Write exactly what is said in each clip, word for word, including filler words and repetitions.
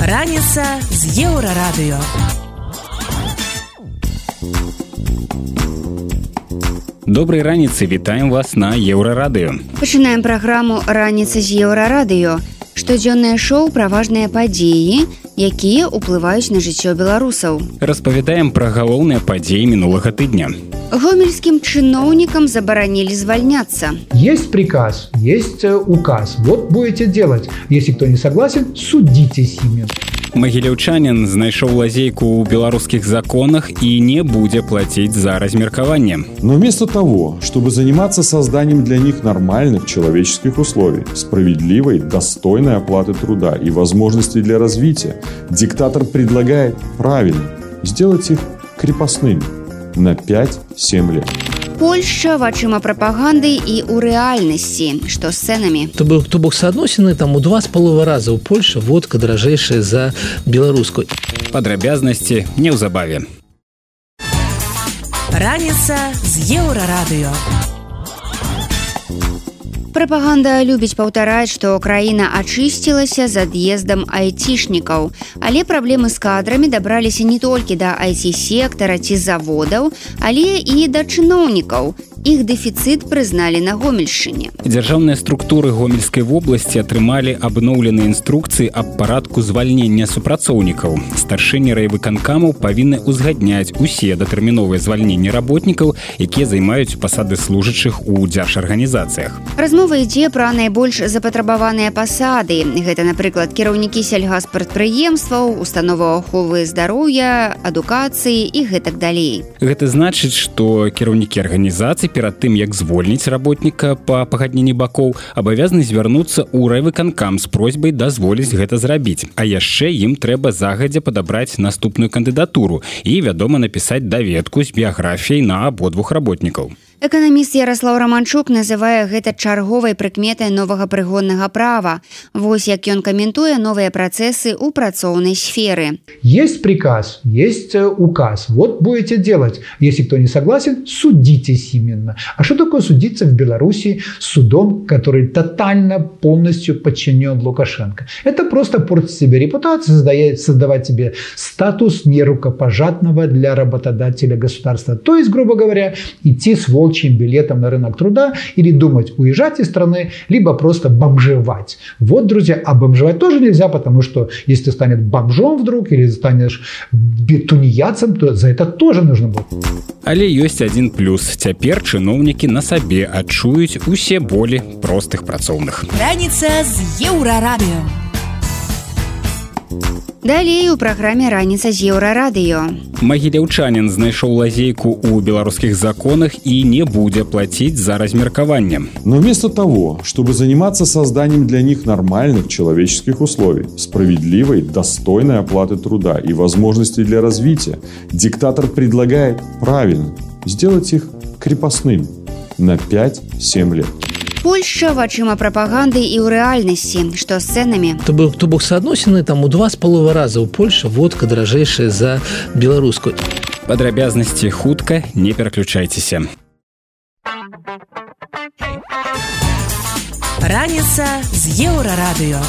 Раніца з Еўрарадыё. Добрай раніцы, вітаем вас на Еўрарадыё. Пачынаем праграму «Раніца з Еўрарадыё». Штодзённае шоу пра важныя падзеі, якія ўплываюць на жыццё беларусаў. Распавядаем пра галоўныя падзеі мінулага тыдня. Гомельскім чыноўнікам забаранілі звальняцца. Есть приказ, есть указ. Вот будете делать. Если кто не согласен, судитесь ими. Магіляўчанін знайшоў лазейку ў беларускіх законах и не будет платить за размеркование. Но вместо того, чтобы заниматься созданием для них нормальных человеческих условий, справедливой, достойной оплаты труда и возможностей для развития, диктатор предлагает правильно сделать их крепостными на пять-семь лет. Польшча вачыма прапаганды і ў рэальнасці, што з цэнамі. То бок, то бок соадносіны там у два з паловай раза ў Польшы водка даражэйшая за беларускую. Падрабязнасці неўзабаве. Раніца з Еўрарадыё. Прапаганда любіць паўтараць, што краіна ачысцілася з ад'ездам айцішнікаў. Але праблемы з кадрамі дабраліся не толькі да ай ти-сектара ці заводаў, але і да чыноўнікаў. Іх дэфіцыт прызналі на Гомельшчыне. Дзяржаўныя структуры Гомельскай вобласці атрымалі абноўленыя інструкцыі аб парадку звальнення супрацоўнікаў. Старшыні райвыканкамаў павінны ўзгадняць усе датэрміновыя звальненні работнікаў, якія займаюць пасады служачых у дзяржарганізацыях. Размова ідзе пра найбольш запатрабаваныя пасады. Гэта, напрыклад, кіраўнікі сельгаспрадпрыемстваў, установаў аховы здароўя, адукацыі і гэтак далей. Гэта значыць, што кіраўнікі арганізацый перад тым, як звольніць работніка па пагадненні бакоў, абавязаны звярнуцца ў райвыканкам з просьбай дазволіць гэта зрабіць. А яшчэ ім трэба загадзя падабраць наступную кандыдатуру і, вядома, напісаць даведку з біяграфіяй на абодвух работнікаў. Эканаміст Ярослаў Раманчук называе гэта чарговай прыкметай новага прыгоннага права. Вось як ён каментуе новыя працэсы ў працоўнай сферы. Есть приказ, есть указ. Вот будете делать. Если кто не согласен, судитесь именно. А что такое судиться в Беларуси с судом, который тотально, полностью подчинен Лукашенко? Это просто портить себе репутацию, создавать себе статус нерукопожатного для работодателя государства. То есть, грубо говоря, идти с волчьим билетом на рынок труда или думать уезжать из страны, либо просто бомжевать. Вот, друзья, а бомжевать тоже нельзя, потому что если ты станешь бомжом вдруг или станешь тунеядцем, то за это тоже нужно будет. Але ёсць адзін плюс. Цяпер чыноўнікі на сабе адчуюць усе болі простых працоўных. Раніца з Еўрарадыё. Далей у праграме «Раніца з Еўрарадыё». Магіляўчанін знайшоў лазейку ў беларускіх законах и не будет платить за размеркование. Но вместо того, чтобы заниматься созданием для них нормальных человеческих условий, справедливой, достойной оплаты труда и возможностей для развития, диктатор предлагает правильно сделать их крепостными на пять-семь лет. Польшча вачыма прапаганды і ў рэальнасці, што з цэнамі. То бок, то бок соадносіны там у два з паловай раза ў Польшы водка даражэйшая за беларускую. Падрабязнасці хутка, не пераключайцеся. Раніца з Еўрарадыё.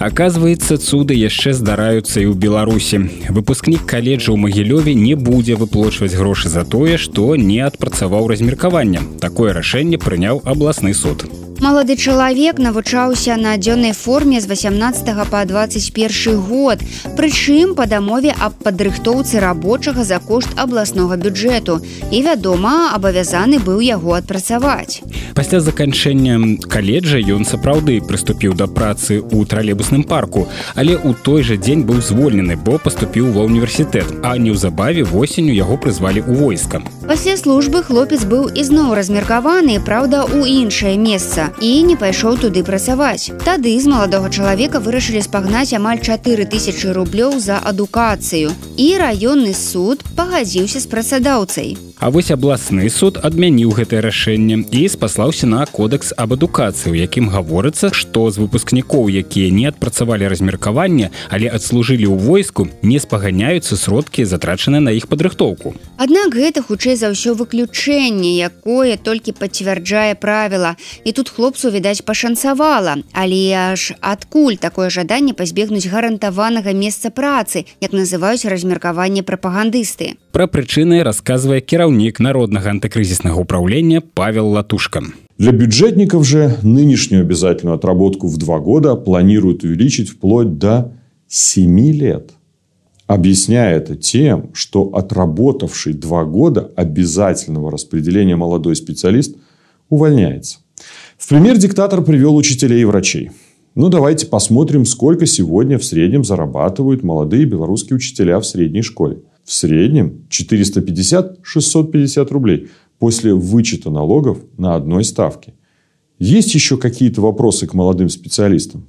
Оказывается, цуды яшчэ здараюцца і ў Беларусі. Выпускнік каледжа ў Магілёве не будзе выплочваць грошы за тое, што не адпрацаваў размеркаванне. Такое рашэнне прыняў абласны суд. Малады чалавек навучаўся на дзённай форме з васямнаццатага па дваццаць першы год, прычым па дамове аб падрыхтоўцы рабочага за кошт абласнога бюджэту і, вядома, абавязаны быў яго адпрацаваць. Пасля заканчэння каледжа ён сапраўды прыступіў да працы ў тралейбусным парку, але ў той жа дзень быў звольнены, бо паступіў ва ўніверсітэт, а неўзабаве восенню яго прызвалі ў войска. Пасля службы хлопец быў ізноў размеркаваны, праўда, у іншае месца, і не пайшоў туды працаваць. Тады з маладога чалавека вырашылі спагнаць амаль чатыры тысячы рублёў за адукацыю, і раённы суд пагадзіўся з працадаўцай. А вось абласны суд адмяніў гэтае рашэнне і спаслаўся на кодекс аб адукацыі, у якім гаворыцца, што з выпускнікоў, якія не адпрацавалі размеркаванне, але адслужылі ў войску, не спаганяюцца сродкі, затрачаныя на іх падрыхтоўку. Аднак гэта хутчэй за ўсё выключэнне, якое толькі пацвярджае правіла. І тут хлопцу, відаць, пашанцавала. Але аж адкуль такое жаданне пазбегнуць гарантаванага месца працы, як называюць размеркаванне прапагандысты? Пра прычыны расказвае кіраўнік Народнага антыкрызіснага управления Павел Латушко. Для бюджетников же нынешнюю обязательную отработку в два года планируют увеличить вплоть до семи лет. Объясняя это тем, что отработавший два года обязательного распределения молодой специалист увольняется. В пример диктатор привел учителей и врачей. Ну, давайте посмотрим, сколько сегодня в среднем зарабатывают молодые белорусские учителя в средней школе. В среднем четыреста пятьдесят - шестьсот пятьдесят рублей после вычета налогов на одной ставке. Есть еще какие-то вопросы к молодым специалистам?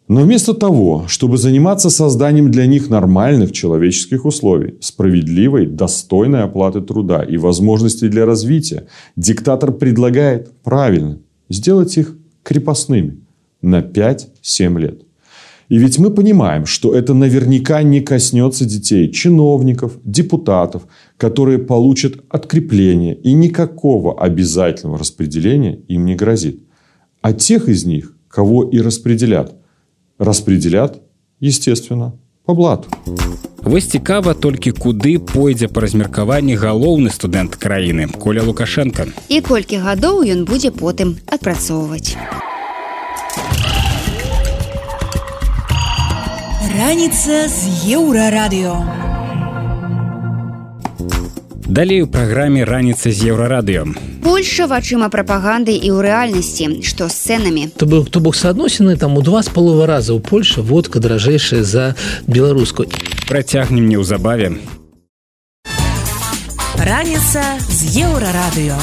Но вместо того, чтобы заниматься созданием для них нормальных человеческих условий, справедливой, достойной оплаты труда и возможностей для развития, диктатор предлагает, правильно, сделать их крепостными на пять-семь лет. И ведь мы понимаем, что это наверняка не коснется детей, чиновников, депутатов, которые получат открепление, и никакого обязательного распределения им не грозит. А тех из них, кого и распределят, распределят, естественно, по блату. Вось цікава толькі куды пойдзе па размеркаванні галоўны студэнт краіны Коля Лукашенко. І колькі гадоў ён будзе потым адпрацоўваць. Раніца з Еўрарадыё. Далей у праграме «Раніца з Еўрарадыё». Польша вачыма прапаганды і ў рэальнасці, што з цэнамі. То бок, то бок соадносіны там у два з паловай раза ў Польшы водка даражэйшая за беларускую. Працягнем неўзабаве. Раніца з Еўрарадыё.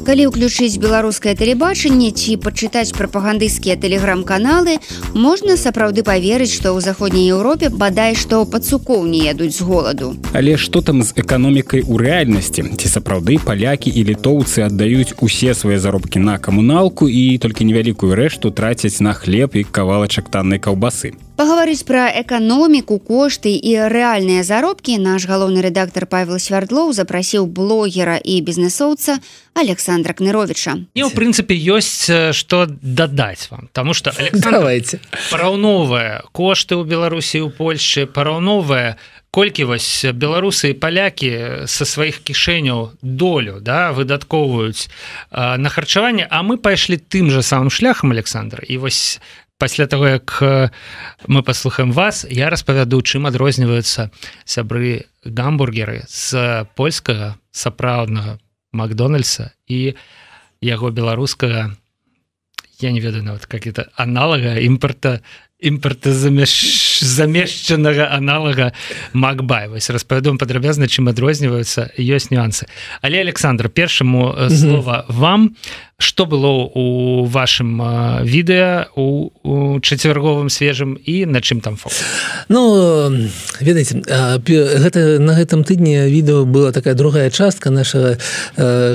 Калі ўключыць беларускае тэлебачанне ці пачытаць прапагандысцкія тэлеграм-каналы, можна сапраўды паверыць, што ў заходняй Еўропе бадай што пацукоў не ядуць з голаду. Але што там з эканомікай у рэальнасці? Ці сапраўды палякі і літоўцы аддаюць усе свае заробкі на камуналку і толькі невялікую рэшту трацяць на хлеб і кавалачак таннай каўбасы? Паговорыць пра эканоміку, кошты і рэальныя заробкі наш галоўны рэдактар Павел Свярдлоў запрасіў блогера і бізнесоўца Александра Кныровича. І, ў прынцыпе, ёсць што дадаць вам, таму што Александр параўноўвае кошты ў Беларусі і ў Польшчы, параўноўвае колькі вось беларусы і палякі са сваіх кішэняў долю, да, выдаткоўваюць э, на харчаванне, а мы пайшлі тым жа самым шляхам, Александр, і вось пасля таго, як мы паслухаем вас, я распавяду, чым адрозніваюцца сябры гамбургеры з польскага сапраўднага Макдональдса і яго беларускага, я не ведаю нават, как это, аналага імпорта, імпартазамешчанага аналага Макбай. Вось распавядом падрабязна, чым адрозніваюцца, ёсць нюансы. Але, Александр, першаму слова вам. Што было у вашым відэа у, у чацвярговым свежым і на чым там фокус? Ну, ведаеце, гэта, на гэтым тыдні відэо была такая другая частка нашага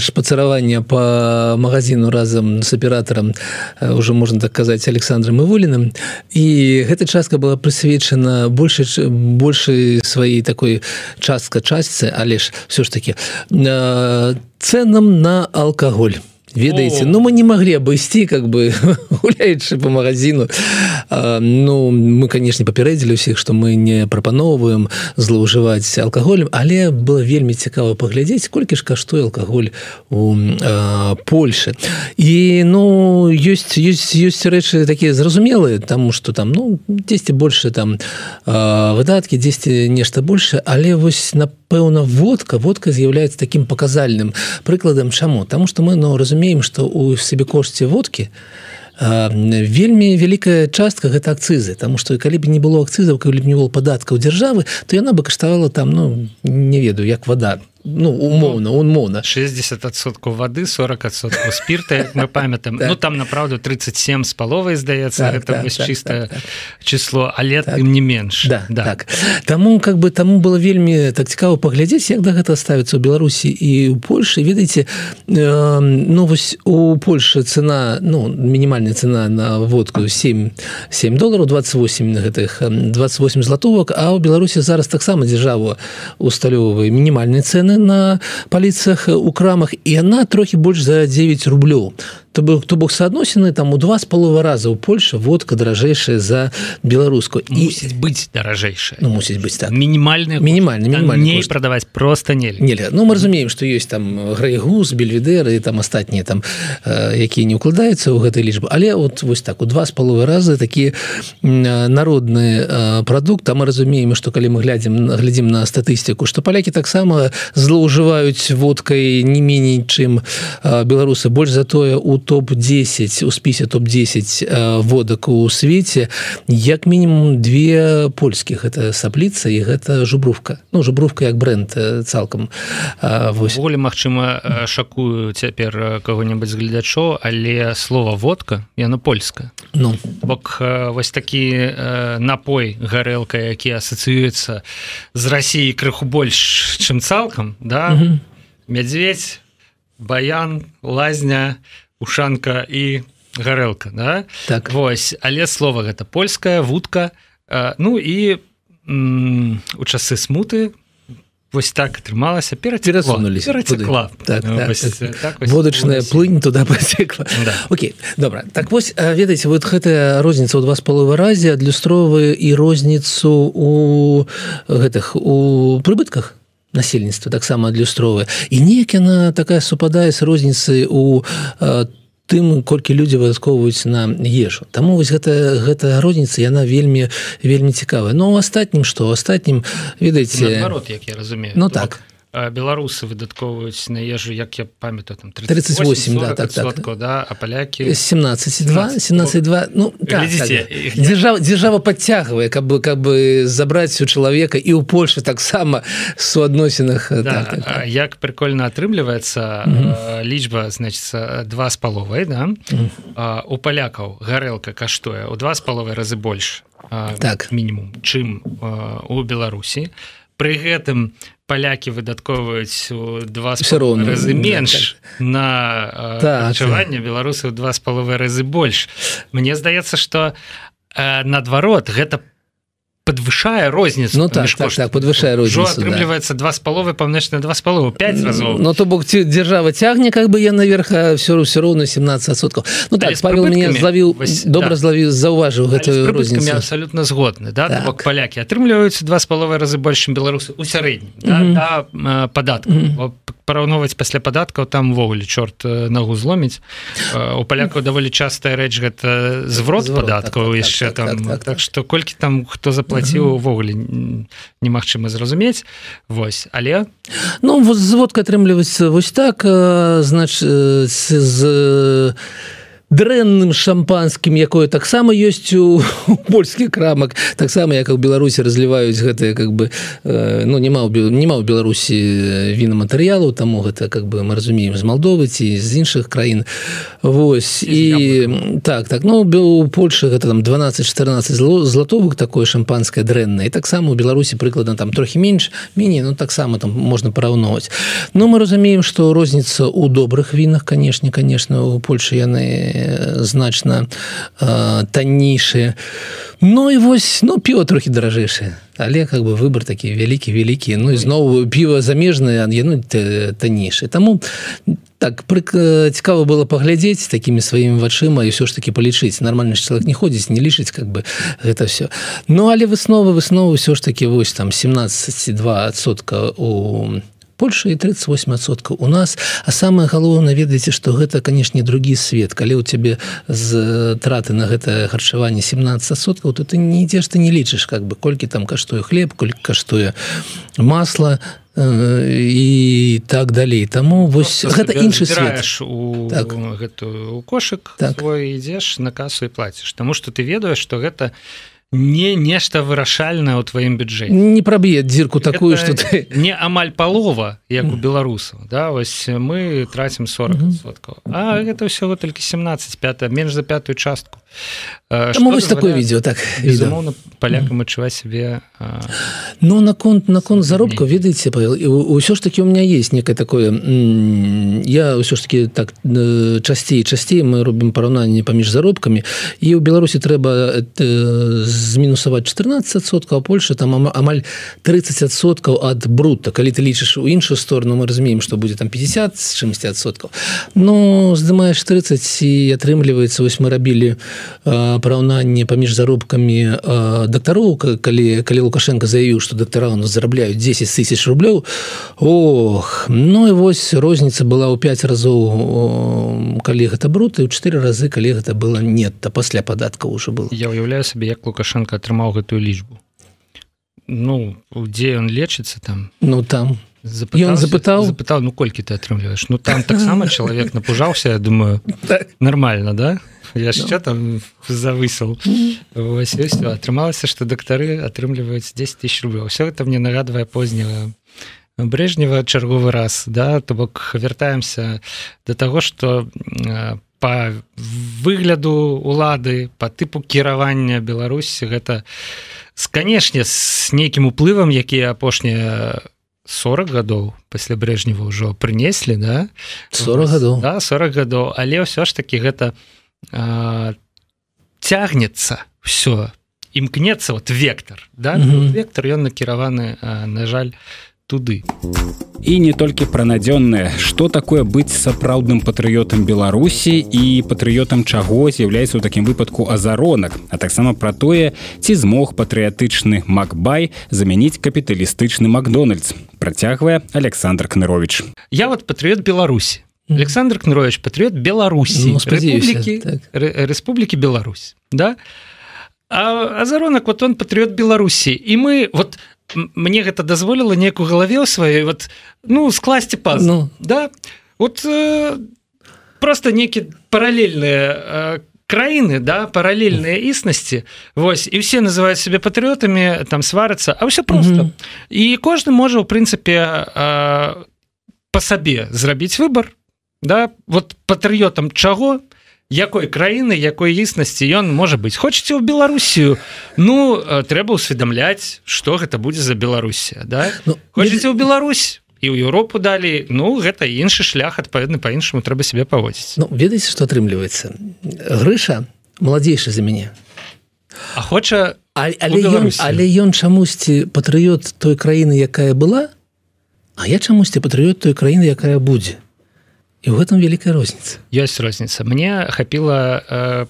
шпацыравання па магазіну разам з аператарам, уже можна так казаць, Александром Івуліным. І гэта частка была прысвечана большай, большай сваёй такой частка-частцы, але ж все ж таки цэнам на алкаголь. Ведаеце, ну мы не могли обойсти, как бы, гуляючы по магазину. А, ну, мы, конечно, папярэдзілі ўсіх, што мы не прапаноўваем злоўжываць алкаголем, але было вельмі цікава паглядзець, колькі ж каштуе алкаголь у а, Польшы. І, ну, ёсць, ёсць, ёсць рэчы такія зразумелыя, таму што там, ну, дзесьці больше там а, выдаткі, дзесьці нешта больше, але вось, напэўна, водка, водка з'яўляецца такім паказальным прыкладам. Чаму? Таму што мы, ну, разумеем, што ў сабекошце водкі вельмі вялікая частка гэта акцызы, таму што калі б не было акцызаў, калі б не было падаткаў дзяржавы, то яна бы каштавала там, ну, не ведаю, як вада. ну умоўна умоўна шестьдесят адсоткаў вады сорок адсоткаў спірта, як мы памятаем. Ну там направду тридцать семь з паловай здаецца, гэта вось чыстае число, але тым не менш. Да, так. Таму как бы таму было вельмі так цікава паглядзець, як да гэта ставіцца ў Беларусі і ў Польшы. Ведаеце, ну вось у Польшы цена, ну мінімальная цена на водку сем долараў, двадцать восемь гэтых двадцать восемь златовак, а ў Беларусі зараз таксама дзяржава усталёўвае мінімальныя цэны на паліцах у крамах, і яна трохі больш за девять рублёў. То бок, то бок соотносіны там у два з паловай раза ў Польшы водка даражэйшая за беларускую. Мусіць быць даражэйшая. Ну мусіць быць так. Мінімальная мінімальная мінімальная не прадаваць просто нельга. Нельга. Ну мы разумеем, што ёсць там Грейгус, Бельведер і там астатнія там якія не ўкладаюцца ў гэтай лічбы, але от вось так у два з паловай раза такі народны прадукт. А мы разумеем, што калі мы глядзім глядзім на статыстыку, што палякі таксама злоўжываюць водкай не меней, чым беларусы. Больш за тое у топ десять, у спісе топ десять водак у свеце як мінімум две польскіх. Гэта Сапліца і гэта Жубрówka. Ну, Жубрówka як бренд цалкам. Ввогуле, магчыма, шакую цяпер каго-небудзь з гледачоў, але слова водка, яно польскае. Ну. Бок вось такі напой, гарэлка, які асацыюецца з Расіяй крыху больш, чым цалкам, да? Угу. Мядзведь, баян, лазня, ушанка і гарэлка, да? Так. Вось, але слова гэта польская, вудка, ну і м, у часы смуты вось так атрымалася, перацекла. Перацекла. Так, вось, так, так, вось, водачная плынь туда пацекла. Да. Окей, добра. Так вось, ведаеце, вот гэтая розніца ў два з паловай разе адлюстроўвае і розніцу у гэтых у прыбытках насельніцтва таксама адлюстроўвае. І неяк яна такая супадае з розніцай у э, тым, колькі людзі выдаткоўваюць на ежу. Таму вось гэта, гэта розніца, яна вельмі, вельмі цікавая. Но ў астатнім што? У астатнім, ведаеце... Наадварот, як я разумею. Ну так. Беларусы выдаткоўваюць на ежу, як я памятаю, там тридцать восемь, да, так, так. Да, а палякі... семнадцать два, семнадцать два, ну, так, так. Дзяржава, дзяржава падцягвае, каб, каб забраць у чалавека, і ў Польшы таксама суадносінах. Да, так, так, так. Як прикольна атрымліваецца mm-hmm. лічба, значыцца, два з паловай, да? Mm-hmm. У палякаў гарэлка каштуе ў два з паловай разы больш, так. мінімум, чым у Беларусі. Пры гэтым палякі выдаткоўваюць у два з паловай разы менш так. на харчаванне, так. беларусы ў два з паловай разы больш. Мне здаецца, што э, наадварот, гэта подвышае розніцу. Ну так, так, так, подвышае розніцу. Ужо атрымліваецца два з паловай памножыць на два з паловай, пять разоў. Ну то бок дзяржава цягне как бы я наверх, а все все роўна семнадцать адсоткаў. Ну так, Павел мяне злавіў, добра злавіў, заўважыў гэтую розніцу. Я абсолютно згодны, да? Так. Бок палякі атрымліваюць два з паловай разы больш, чым беларусы у сярэднім, да, mm-hmm. да падаткаў. Mm-hmm. Параўноўваць пасля падаткаў там увогуле чорт нагу зломіць. У палякаў даволі частая рэч гэта зврот, зврот падаткаў так, яшчэ так, там. Так, так, так, так што колькі там хто заплаціў увогуле немагчыма зразумець. Вось, але ну вот зводка атрымліваецца вось так, значыць з дрэнным шампанскім, якое таксама ёсць у, у польскіх крамах, таксама як у Беларусі разліваюць гэтыя как бы э, ну нема ў нема ў Беларусі вінаматэрыялаў, таму гэта как бы мы разумеем з Малдовы ці з іншых краін. Вось і так, так, ну у Польшы гэта там дванаццаць-чатырнаццаць златовых такое шампанскае дрэннае. І таксама у Беларусі прыкладна там трохі менш, меней, ну таксама там можна параўноўваць. Ну мы разумеем, што розніца ў добрых вінах, канешне, канешне, у Польшы яны значна э, таннейшие. Ну і вось, ну піва трохі даражэйшае, але как бы выбор такі вялікі вялікі. Ну і зноў піва замежнае, яно таннейшае. Таму так цікава было паглядзець такімі сваімі вачыма і ўсё ж такі палічыць. Нармальны чалавек не ходзіць, не лічыць как бы гэта все. Ну але высновы высновы ўсё ж такі вось там семнадцать два адсотка у Польша і тридцать восемь адсоткаў у нас. А самае галоўнае, ведаеце, што гэта, канешне, другі свет. Калі ў цябе з траты на гэта харчаванне семнадцать адсоткаў, то ты не ідзеш, ты не лічыш, как бы, колькі там каштуе хлеб, колькі каштуе масла і так далей. Таму вось гэта іншы свет. У так. гэтую у кошык так. свой ідзеш на касу і плаціш. Таму што ты ведаеш, што гэта не нешта вырашальнае ў тваім бюджэце. Не праб'е дзірку такую, Гэта што ты... не амаль палова, як у беларусаў. Да? Вось мы трацім сорок адсоткаў. А гэта ўсяго толькі семнадцаць, пятая, менш за пятую частку. Таму вось такое відео, так. Безумоўна, палякам адчуваць сябе... Ну, наконт, наконт заробка, ведаеце, Павел, ўсё ж таки у меня есть некое такое... Я ўсё ж таки так часцей, часцей мы робім параўнанне паміж заробкамі, і ў Беларусі трэба змінусаваць чатырнаццаць адсоткаў, а Польша там амаль тридцать адсоткаў ад брута. Калі ты лічыш у іншую сторону, мы разумеем, што будзе там пятьдесят з чымсьці адсоткаў. Ну, здымаеш тридцать, і атрымліваецца, вось мы рабілі параўнанне паміж заробкамі дактароў, калі, калі Лукашенко заявіў, што дактара у нас зарабляюць десять тысяч рублёў. Ох, ну і вось розніца была ў пять разоў, калі гэта брут, і ў четыре разы, калі гэта было нетта, пасля падаткаў уже было. Я уяўляю сабе, як Лукашенко атрымаў гэтую лічбу. Ну, дзе ён лечыцца там? Ну, там. Запытаўся, ён запытаў? Запытаў, ну, колькі ты атрымліваеш? Ну, там таксама чалавек напужаўся, я думаю, нормально, да? Яшчэ там завысил. Вось, і ўсё. Атрымалася, што дактары атрымліваюць десять тысяч рублёў. Все это мне нагадвае позняга Брежнева чарговы раз, да? То бок вяртаемся до таго, што па выгляду улады, па тыпу кіравання Беларусі, гэта, канешне, з нейкім уплывам, якія апошнія сорок гадоў пасля Брежнева ўжо прынеслі, да? сорок гадоў. Да, сорок гадоў, але ўсё ж такі гэта а, цягнецца ўсё, імкнецца вот вектор, да? Mm-hmm. Вектор, ён накіраваны, а, на жаль, туды. І не толькі пра надзённае, што такое быць сапраўдным патрыётам Беларусі і патрыётам чаго з'яўляецца ў такім выпадку азаронак, а таксама пра тое, ці змог патрыятычны Макбай замяніць капіталістычны Макдональдс. Працягвае Александр Кнырович. Я вот патрыёт Беларусі. Александр Кнырович, патрыёт Беларусі, ну, Рэспублікі, так. Рэспублікі Беларусь, да? А азаронак, вот он патрыёт Беларусі, і мы вот мне гэта дазволіла неяк у галаве ў сваёй вот, ну, скласці пазл, ну. Да? Вот э, просто нейкі паралельныя э, краіны, да, паралельныя існасці, вось, і ўсе называюць сябе патрыётамі, там сварацца, а ўсё проста. Mm-hmm. І кожны можа, ў прынцыпе, э, па сабе зрабіць выбар, да, вот патрыётам чаго, якой краіны, якой існасці ён можа быць. Хочаце ў Беларусію, ну, трэба ўсведамляць, што гэта будзе за Беларусія, да? Ну, хочаце ў Беларусь і ў Еўропу далей, ну, гэта іншы шлях, адпаведна, па-іншаму трэба сябе паводзіць. Ну, ведаеце, што атрымліваецца? Грыша маладзейшы за мяне. А хоча а, але, ён, але ён чамусьці патрыёт той краіны, якая была, а я чамусьці патрыёт той краіны, якая будзе. І ў гэтым вялікая розніца. Ёсць розніца. Мне хапіла э,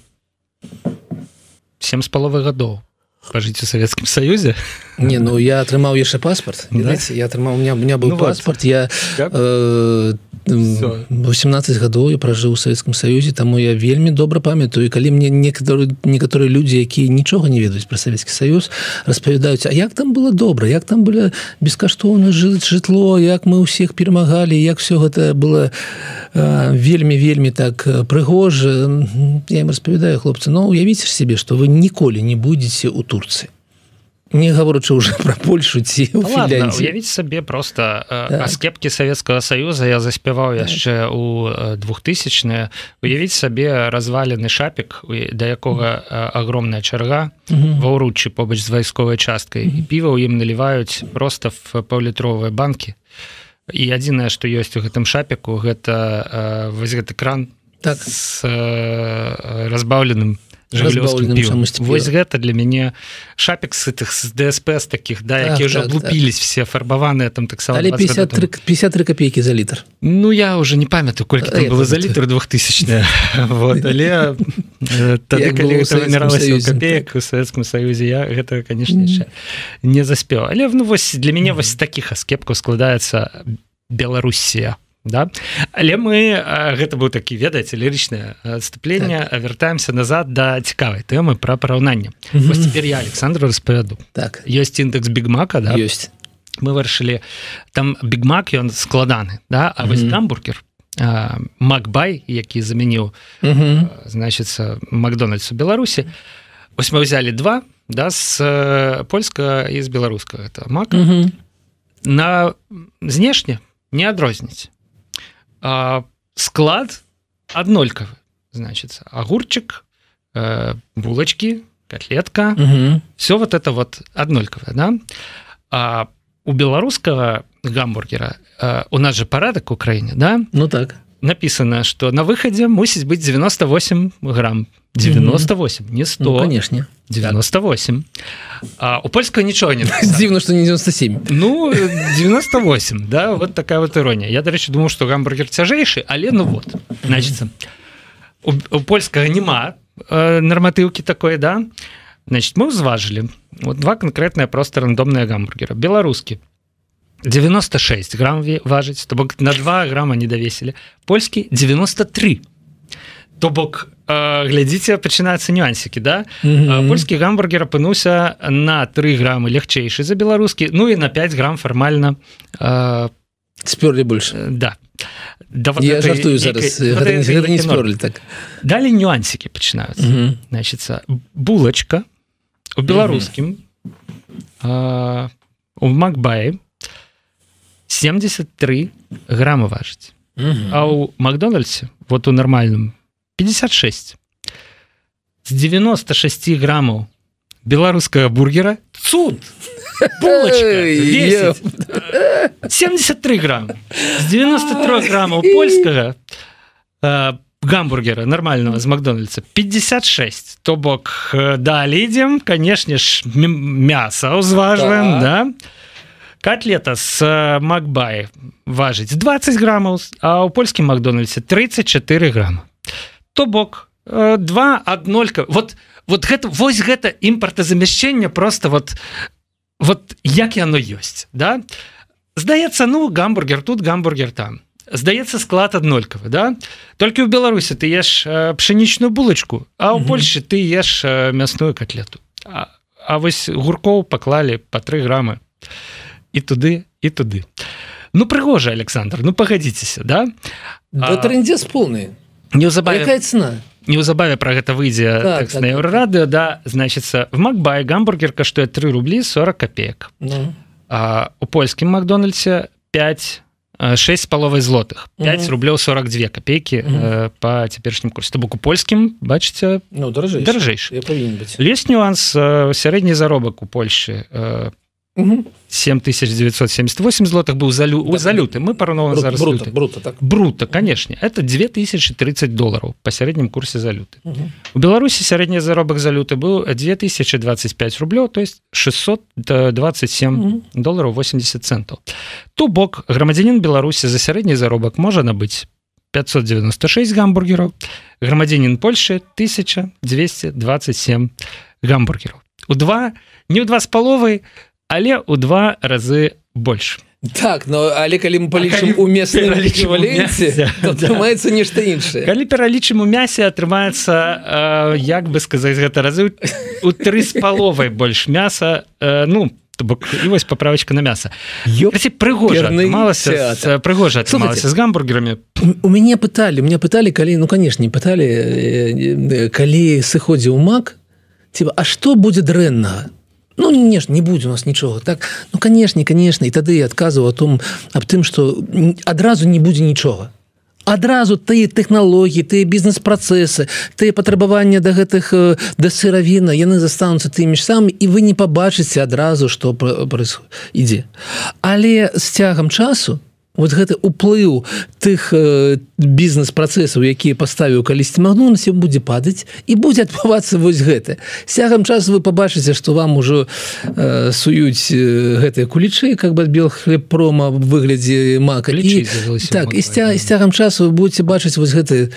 сем з паловай гадоў пажыць у Савецкім Саюзе. Не, ну я атрымаў яшчэ паспарт. Да? Я атрымаў, у меня, у меня быў ну, паспарт. Вот. Я э, восемнадцаць гадоў я пражыў у Савецкім Саюзе, таму я вельмі добра памятаю. І калі мне некаторыя, некаторыя людзі, якія нічога не ведаюць пра Савецкі Саюз, распавядаюць, а як там было добра, як там было бескаштоўна жытло, як мы ўсіх перамагалі, як все гэта было вельмі-вельмі так прыгожа. Я ім распавядаю, хлопцы, ну уявіце ж сябе, што вы ніколі не будзеце ў Турцыі. Не гаворачы ўжо пра Польшу ці ў Фінляндіі. Ладно, уявіць сабе проста так. Аскепкі Савецкага Саюза я заспяваў так. яшчэ ў двухтысячныя. Уявіць сабе развалены шапік, да якога агромная чарга угу. ва ўруччы побач з вайсковай часткай. Угу. І піва ў ім наліваюць проста в паўлітровыя банкі. І адзінае, што ёсць у гэтым шапіку, гэта вось гэты кран так. з разбаўленым жыглёўскім півам. Вось гэта для мяне шапік з гэтых з ДСП з такіх, да, так, якія ўжо так, аблупілись так. все фарбаваныя там таксама. Але пятьдесят три, пятьдесят три копейкі за літр. Ну я уже не памятаю, колькі там было за літр двухтысячныя. Вот, але тады калі гэта вымяралася ў копеек у Савецкім Саюзе, я гэта, канешне, яшчэ не заспеў. Але ну вось для мяне вось такіх аскепкаў складаецца Беларусія. Да? Але мы, гэта быў такі, ведаеце, лірычнае адступленне, так. вяртаемся назад да цікавай тэмы пра параўнанне. Mm-hmm. Вось цяпер я Александру распавяду. Так. Ёсць індэкс Бігмака, да? Ёсць. Мы вырашылі, там Бігмак, ён складаны, да? А mm-hmm. вось гамбургер, Макбай, які замяніў, mm-hmm. значыцца, Макдональдс у Беларусі, вось мы взяли два, да, з польскага і з беларускага это мака угу. на знешне не адрозніць. А склад аднолькавы, значится, огурчик, э, булочки, котлетка, угу. все вот это вот аднолькавае, да? А у беларускага гамбургера э, у нас же парадак в Украине, да? Ну так. Написано, что на выходе мусить быть девяносто восемь грамм. девяносто восемь, mm-hmm. не сто. Ну, конечно. девяносто восемь. А у польского ничего не написано. Дивно, что не девяносто семь. Ну, девяносто восемь, да, вот такая вот ирония. Я, до речі, думал, что гамбургер тяжейший, але ну вот. Значит, у, у польского нема э, нормативки такой, да. Значит, мы взважили вот два конкретные просто рандомные гамбургера. Белорусский. девяносто шесть грамм важить, то бок на два грамма не довесили. Польский девяносто три. То бок, э, глядзіце, пачынаюцца нюансікі, да? Mm-hmm. Польскі гамбургер апынуўся на три граммы лягчэйшы за беларускі, ну і на пять грамм фармальна э, спёрлі больш. Да. Да вот я жартую зараз, вот гэта, гэта, гэта не спёрлі так. Далі нюансікі пачынаюцца. Mm-hmm. Значит, булачка у беларускім mm-hmm. э, у Макбае семьдесят три грамма важить. Uh-huh. А у Макдональдсе, вот у нормальном, пятьдесят шесть. С девяноста шести граммов белорусского бургера цуд! Булочка весит семьдесят три грамма. С девяноста трёх граммов польского э, гамбургера нормального с Макдональдса пятьдесят шесть. То бок, э, далее идем, конечно ж, мясо узваживаем, да? да? Котлета с Макбай важить двадцать граммов, а у польскім Макдональдсе тридцать четыре грамма. То бок, два аднолька. Вот, вот гэта, вось гэта імпартазамяшчэнне просто вот, вот як яно ёсць, да? Здаецца, ну, гамбургер тут, гамбургер там. Здаецца, склад аднолькавы, да? Толькі ў Беларусі ты еш пшенічную булочку, а ў Польшы ты еш мясную котлету. А, а вось гуркоў паклалі по три граммы. І туды, і туды. Ну, прыгожа, Александр, ну, пагадзіцеся, да? Да, трындзец поўны. Неўзабаве... Якая цена? Неўзабаве пра гэта выйдзе так, тэкст так, на Еўрарадыо, да, значыцца, в Макбай гамбургер каштуе три рубли сорок копеек. Ну. А у польскім Макдональдсе пять, шесть с половой злотых. пять угу. рублёў сорок две копейки угу. э, по цяперашнім курсе. То бок у польскім, бачыце, ну, даражэйшы. даражэйшы. Я павінен быць. Ёсць нюанс, э, сярэдні заробак у Польшы э, угу. семь тысяч девятьсот семьдесят восемь злотых был за, лю... да, за люты. Мы параўноўваем зараз бруто, люты. Бруто, так. Бруто, конечно. Это две тысячи тридцать долларов по сярэднім курсе за люты. Угу. У Беларусі сярэдні заробак за люты был две тысячи двадцать пять рублёў, то есть шестьсот двадцать семь угу. долларов восемьдесят центов. То бок грамадзянін Беларусі за сярэдні заробак можа набыць пятьсот девяносто шесть гамбургеров, грамадзянін Польши тысяча двести двадцать семь гамбургеров. У два, не у два с половой, але у два разы больш. Так, но але калі мы палічым у месным эквіваленце, то атрымаецца нешта іншае. Калі пералічым у мясе, атрымаецца, э, як бы сказаць, гэта разы у тры з паловай больш мяса, э, ну, то бок, і вось паправачка на мяса. Прыгожа атрымалася, прыгожа атрымалася з гамбургерамі. У мяне пыталі, у мяне пыталі, калі, ну, канешне, пыталі, калі сыходзіў мак, типа, а што будзе дрэннага? Ну, не, не будзе у нас нічога. Так, ну, конечно, конечно. І тады я адказваў о том, аб тым, што адразу не будзе нічога. Адразу тыя тэхналогіі, тыя бізнес-працэсы, тыя патрабавання да гэтых, да сыравіна, яны застануцца тымі ж самі, і вы не пабачыце адразу, што ідзе. Але з цягам часу вот гэты уплыў тых э, бізнес-працэсаў, якія паставіў калісьці Макдональдс, будзе падаць і будзе адбывацца вось гэта. З цягам часу вы пабачыце, што вам ужо э, суюць э, гэтыя кулічы, как бы ад Белхлебпрома в выглядзе мака. І, так, і з цягам часу вы будете бачыць вось гэты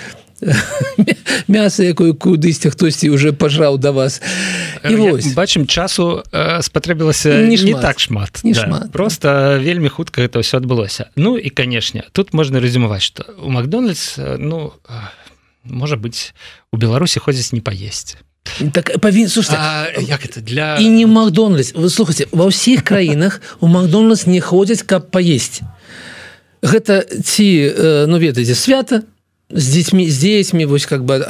мяса, якое кудысьці хтосьці уже пажраў да вас. І вось. Бачым, часу э, спатрэбілася не, не так шмат. Не да. шмат. Просто вельмі хутка гэта ўсё адбылося. Ну і, канешне, тут можна рэзюмаваць, што у Макдональдс, ну, можа быць, у Беларусі ходзіць не паесці. Так, павін... Слушайте, а як это для... І не Макдональдс. Вы слухайте, ва ўсіх краінах у Макдональдс не ходзяць, каб паесці. Гэта ці, ну, ведаеце, свята, с детьми, с детьми, вот как бы,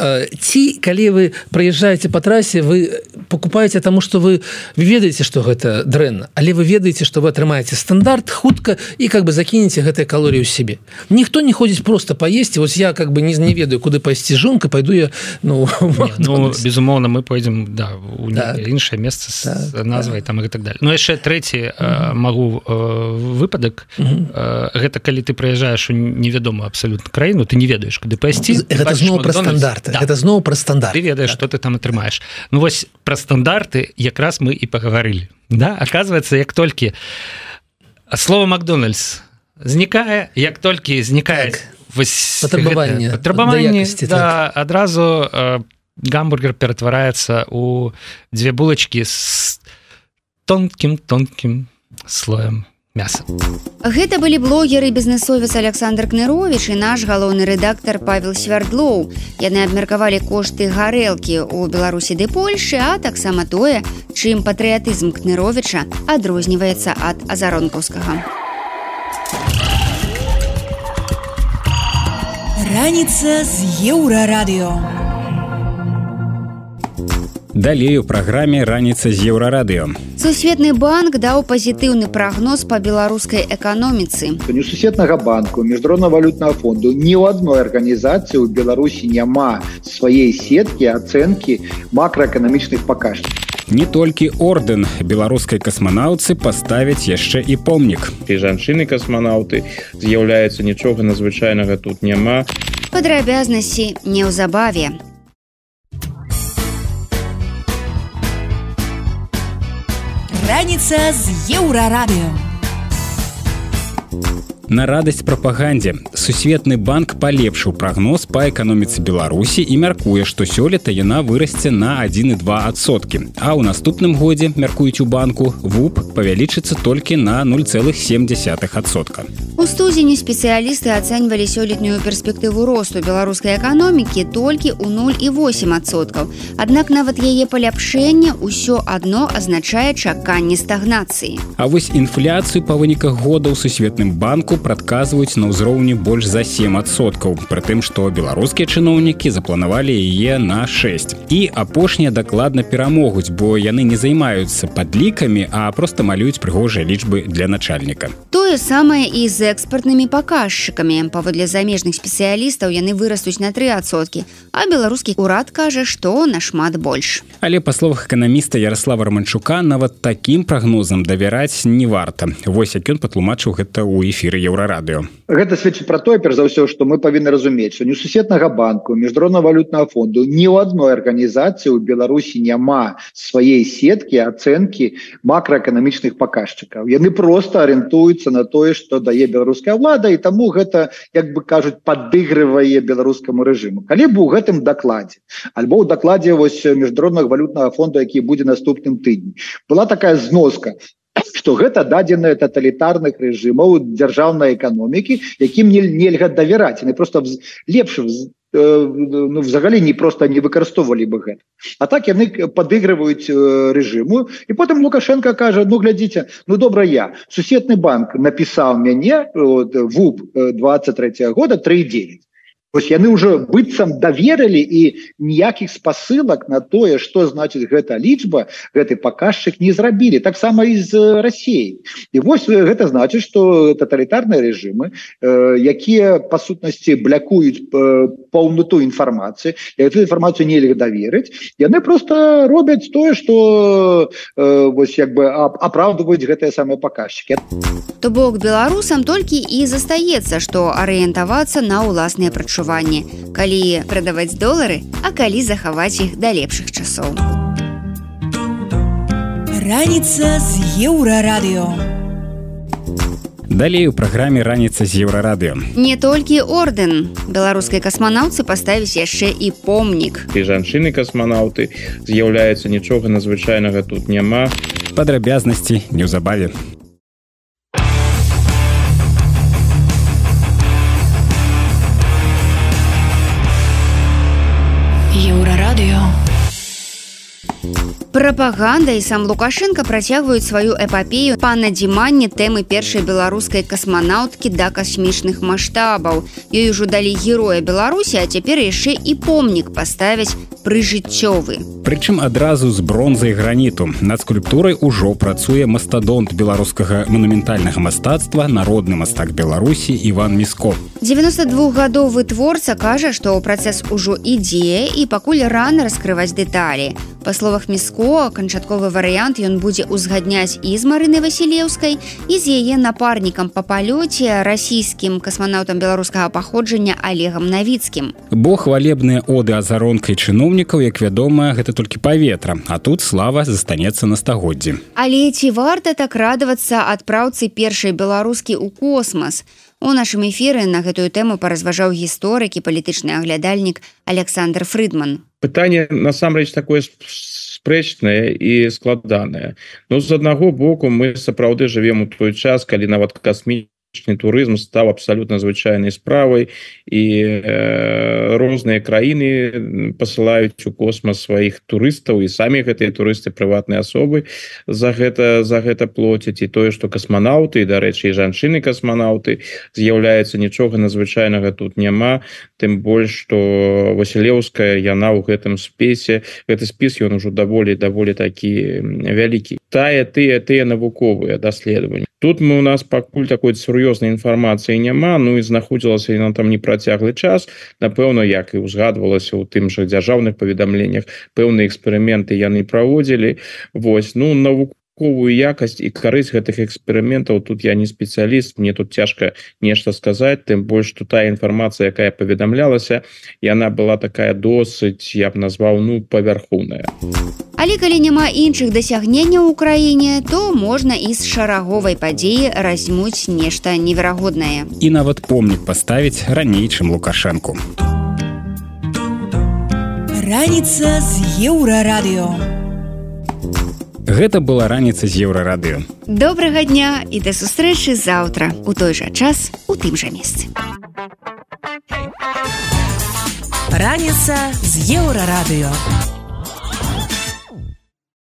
ці, калі вы проезжаете по трассе, вы покупаете тому, что вы, вы ведаете, что это дрэнна, але вы ведаете, что вы атрымаете стандарт хутка и как бы закинете гэтай калорию себе. Никто не ходит просто поесть, и вот я как бы не, не ведаю, куда пойти жонка, пойду я, ну, не, ну безумоўно, мы пойдем, да, у іншае месца с так, назвай так. там и так далее. Но яшчэ трэці mm-hmm. магу выпадак, mm-hmm. гэта калі ты прыязджаеш у невядомую абсолютно краіну, ты не ведаеш, куды пайсці. Гэта зноў пра стандарты. Да. Гэта зноў пра стандарты. Ты ведаеш, так. што ты там атрымаеш. Ну вось пра стандарты якраз мы і пагаварылі. Да? Оказывается, як толькі слово «Макдональдс» знікае, як толькі знікае так. патрабаванне, патрабаванне да, так. адразу э, гамбургер ператвараецца у дзве булачкі з тонкім-тонкім слоем мяса. Гэта былі блогер і бізнесовец Александр Кныровіч і наш галоўны рэдактар Павел Свярдлоў. Яны абмеркавалі кошты гарэлкі ў Беларусі ды Польшы, а таксама тое, чым патрыятызм Кныровіча адрозніваецца ад азаронкаўскага. Раніца з Еўрарадыё. Далей у праграме «Раніца з Еўрарадыё». Сусветны банк даў пазітыўны прагноз па беларускай эканоміцы. Ні у Сусветнага банку, Міжнароднага валютнага фонду ні ў адной арганізацыі ў Беларусі няма сваей сеткі ацэнкі макраэканамічных паказчыкаў. Не толькі ордэн беларускай касманаўцы паставяць яшчэ і помнік. І жанчыны-касманаўты з'яўляецца, нічога надзвычайнага тут няма. Падрабязнасці неўзабаве. Раніца з Еўрарадыё. На радасць прапагандзе Сусветны банк палепшыў прагноз па эканоміцы Беларусі і мяркуе, што сёлета яна вырасце на адзін і два адсоткі. А ў наступным годзе, мяркуюць у банку, ВУП павялічыцца толькі на нуль цэлых сем дзясятых адсотка. У студзені спецыялісты ацэньвалі сёлетнюю перспектыву росту беларускай эканомікі толькі ў нуль і восем адсоткаў. Аднак нават яе паляпшэнне ўсё адно азначае чаканне стагнацыі. А вось інфляцыю па выніках года ў Сусветным банку прадказваюць на ўзроўні больш за сем адсоткаў, пры тым, што беларускія чыноўнікі запланавалі яе на шэсць. І апошнія дакладна перамогуць, бо яны не займаюцца падлікамі, а проста малююць прыгожыя лічбы для начальніка. Тое самае і з экспартнымі паказчыкамі. Паводле замежных спецыялістаў яны вырастуць на тры адсоткі, а беларускі ўрад кажа, што нашмат больш. Але па словах эканаміста Ярослава Романчука, нават такім прагнозам давяраць не варта. Вось як ён патлумачыў гэта ў эфіры Еўрарадыё. Гэта сведчыць пра тое, перш за ўсё, што мы павінны разумець, што ні у Сусветнага банку, Міжнароднага валютнага фонду ні ў адной арганізацыі ў Беларусі няма сваей сеткі ацэнкі макраэканамічных паказчыкаў. Яны проста арыентуюцца на тое, што дае беларуская ўлада, і таму гэта, як бы кажуць, падыгрывае беларускаму рэжыму. Калі б у гэтым дакладзе, альбо ў дакладзе вось Міжнароднага валютнага фонду, які будзе наступным тыдні, была такая зноска, што гэта дадзеныя таталітарных рэжымаў дзяржаўнай эканомікі, якім нельга давяраць. Яны проста лепш ну, взагалі не просто не выкарыстоўвалі бы гэта. А так яны падыгрываюць рэжыму, і потым Лукашенко кажа: ну глядзіце, ну добра, я Сусветны банк напісаў мяне ВУП двадцать третьего года три и девять. Вось яны ўжо быццам даверылі, і ніякіх спасылак на тое, што значыць гэта лічба, гэты паказчык не зрабілі. Таксама і з Расіяй. І вось гэта значыць, што таталітарныя рэжымы, э, якія па сутнасці блякуюць э, паўнату інфармацыі, і гэту інфармацыю нельга даверыць, яны проста робяць тое, што э, вось як бы апраўдваюць гэтыя самыя паказчыкі. То бок беларусам толькі і застаецца, што арыентавацца на ўласныя прачуванні. Калі прадаваць долары, а калі захаваць іх да лепшых часоў. Раніца з Еўрарадыё. Далей у праграме «Раніца з Еўрарадыё». Не толькі ордэн. Беларускай касманаўцы паставіць яшчэ і помнік. І жанчыны-касманаўты з'яўляецца, нічога надзвычайнага тут няма. Падрабязнасці неўзабаве. Еўрарадыё. Прапаганда і сам Лукашенко працягваюць сваю эпапею па надзіманні тэмы першай беларускай касманаўткі да касмічных маштабаў. Ёй ужо далі героя Беларусі, а цяпер яшчэ і помнік паставяць прыжыццёвы. Прычым адразу з бронзы і граніту. Над скульптурай ужо працуе мастадонт беларускага манументальнага мастацтва, народны мастак Беларусі Іван Міско. дзевяностадвухгадовы творца кажа, што працэс ужо ідзе і пакуль рана раскрываць дэталі. Па словах Міско, канчатковы варыянт ён будзе ўзгадняць і з Марынай Васілеўскай, і з яе напарнікам па палёце, расійскім касманаўтам беларускага паходжання Олегам Навіцкім. Бо хвалебныя оды азаронкай чыноўнікаў, як вядома, гэта толькі паветра, а тут слава застанецца на стагоддзі. Але ці варта так радавацца адпраўцы першай беларускі ў космас? У нашым эфіры на гэтую тэму паразважаў гісторык і палітычны аглядальнік Александр Фрыдман. Пытанне насамрэч такое спрэчнае і складанае. Ну, з аднаго боку, мы сапраўды жывем у той час, калі нават касмічны турызм стаў абсалютна звычайнай справай, і э, розныя краіны пасылаюць у космас сваіх турыстаў, і самі гэтыя турысты прыватныя асобы за гэта, за гэта плоцяць. І тое, што касманаўты, і, дарэчы, і жанчыны-касманаўты з'яўляецца, нічога надзвычайнага тут няма, тым больш, што Васілеўская, яна ў гэтым спісе, гэты спіс, ён ужо даволі, даволі такі вялікі. Тая, тыя, тыя навуковыя даследаванні. Тут мы у нас пакуль такой сур'ёзнай інфармацыі няма, ну і знаходзілася яна там непрацяглы час. Напэўна, як і узгадвалася ў тым жа дзяржаўных паведамленнях, пэўныя эксперыменты яны праводзілі. Вось, ну, навуковую якасць і карысць гэтых эксперыментаў тут я не спецыяліст, мне тут цяжка нешта сказаць, тым больш, што тая інфармацыя, якая паведамлялася, яна была такая досыць, я б назваў, ну, павярхоўная. Але калі няма іншых дасягненняў у краіне, то можна і з шараговай падзеі разьмуць нешта неверагоднае. І нават помнік паставіць раней, чым Лукашэнку. Раніца з Еўрарадыё. Гэта была раніца з Еўрарадыё. Добрага дня і да сустрэчы заўтра у той жа час у тым жа месцы. Раніца з Еўрарадыё.